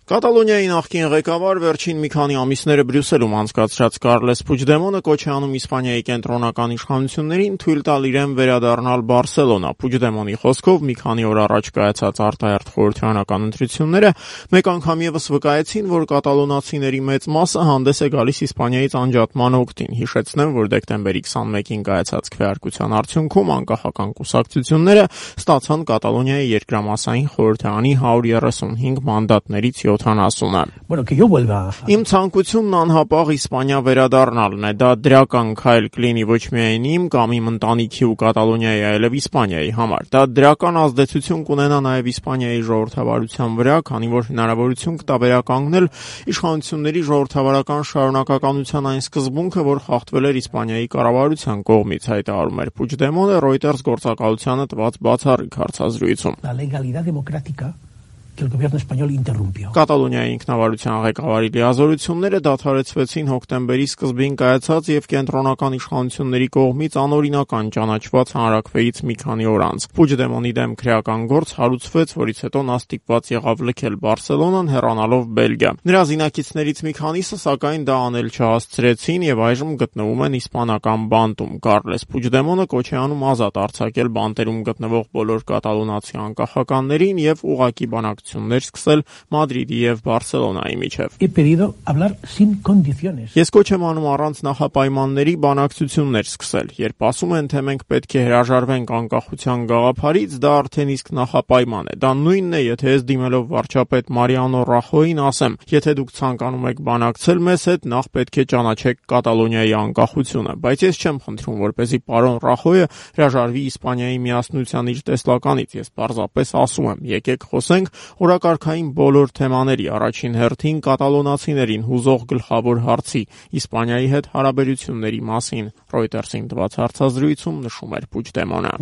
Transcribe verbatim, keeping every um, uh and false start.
Կատալոնիայի նախկին ղեկավար վերջին մի քանի ամիսները Բրյուսելում անցկացրած Կարլես Փուչդեմոնը կոչ է անում Իսպանիայի կենտրոնական իշխանություններին թույլ տալ իրեն վերադառնալ Բարսելոնա։ Փուչդեմոնի խոսքով մի քանի օր առաջ կայացած արտահերթ խորհրդարանական ընտրությունները մեկ անգամ ևս վկայեցին, որ կատալոնացիների մեծ մասը հանդես է գալիս Իսպանիայից անջատման օգտին։ Հիշեցնեմ, որ դեկտեմբերի քսանմեկին կայացած քվեարկության արդյունքում անկախական կուսակցությունները ստացան Կատալոնիայի երկրամասային խորհրդարանի հարյուր երեսունհինգ մանդատներից յոթանասունը։ Իմ ցանկությունն անհապաղ Իսպանիա վերադառնալն է, դա դրական քայլ կլինի ոչ միայն իմ կամ իմ ընտանիքի ու Կատալոնիայի, այլև Իսպանիայի համար։ Դա դրական ազդեցություն կունենա նաև Իսպանիայի ժողովրդավարության վրա, քանի որ հնարավորություն կտա վերականգնել իշխանությունների ժողովրդավարական շարունակականության այն սկզբունքը, որ խախտվել էր Իսպանիայի կառավարության կողմից, հայտարարում էր Փուչդեմոնը Reuters գործակալությանը տված բացառիկ հարցազրույցում։ Կատալոնիայի ինքնավարության ղեկավարի լիազորությունները դադարեցվեցին հոկտեմբերի սկզբին կայացած եւ կենտրոնական իշխանությունների կողմից անօրինական ճանաչված հանրաքվեից մի քանի օր անց։ Փուչդեմոնի դեմ քրեական գործ հարուցվեց, որից հետո նա ստիպված եղավ լքել Բարսելոնան, հեռանալով Բելգիա։ Նրա զինակիցներից մի քանիսը սակայն դա անել չհասցրեցին եւ այժմ գտնվում են իսպանական բանտում։ Կարլես Փուչդեմոնը կոչ է անում ազատ արձակել բանտերում գտնվող բոլոր կատալոնացի անկախականներին եւ ուղղակի բանակ սկսել Մադրիդի եւ Բարսելոնայի միջև։ Ես կոչ եմ անում առանց նախապայմանների բանակցություններ սկսել։ Երբ ասում են, թե մենք պետք է հրաժարվենք անկախության գաղափարից, դա արդեն իսկ նախապայման է։ Դա նույնն է, եթե ես դիմելով վարչապետ Մարիանո Ռախոյին ասեմ, եթե դուք ցանկանում եք բանակցել մեզ հետ, նախ պետք է ճանաչեք Կատալոնիայի անկախությունը։ Բայց ես չեմ խնդրում, որպեսզի պարոն Ռախոյը հրաժարվի Իսպանիայի միասնության իր տեսլականից։ Ես պարզապես ասում եմ, եկեք խոսենք օրակարգային բոլոր թեմաների, առաջին հերթին կատալոնացիներին հուզող գլխավոր հարցի՝ Իսպանիայի հետ հարաբերությունների մասին։ Reuters-ին տված հարցազրույցում նշում էր Փուչդեմոնը։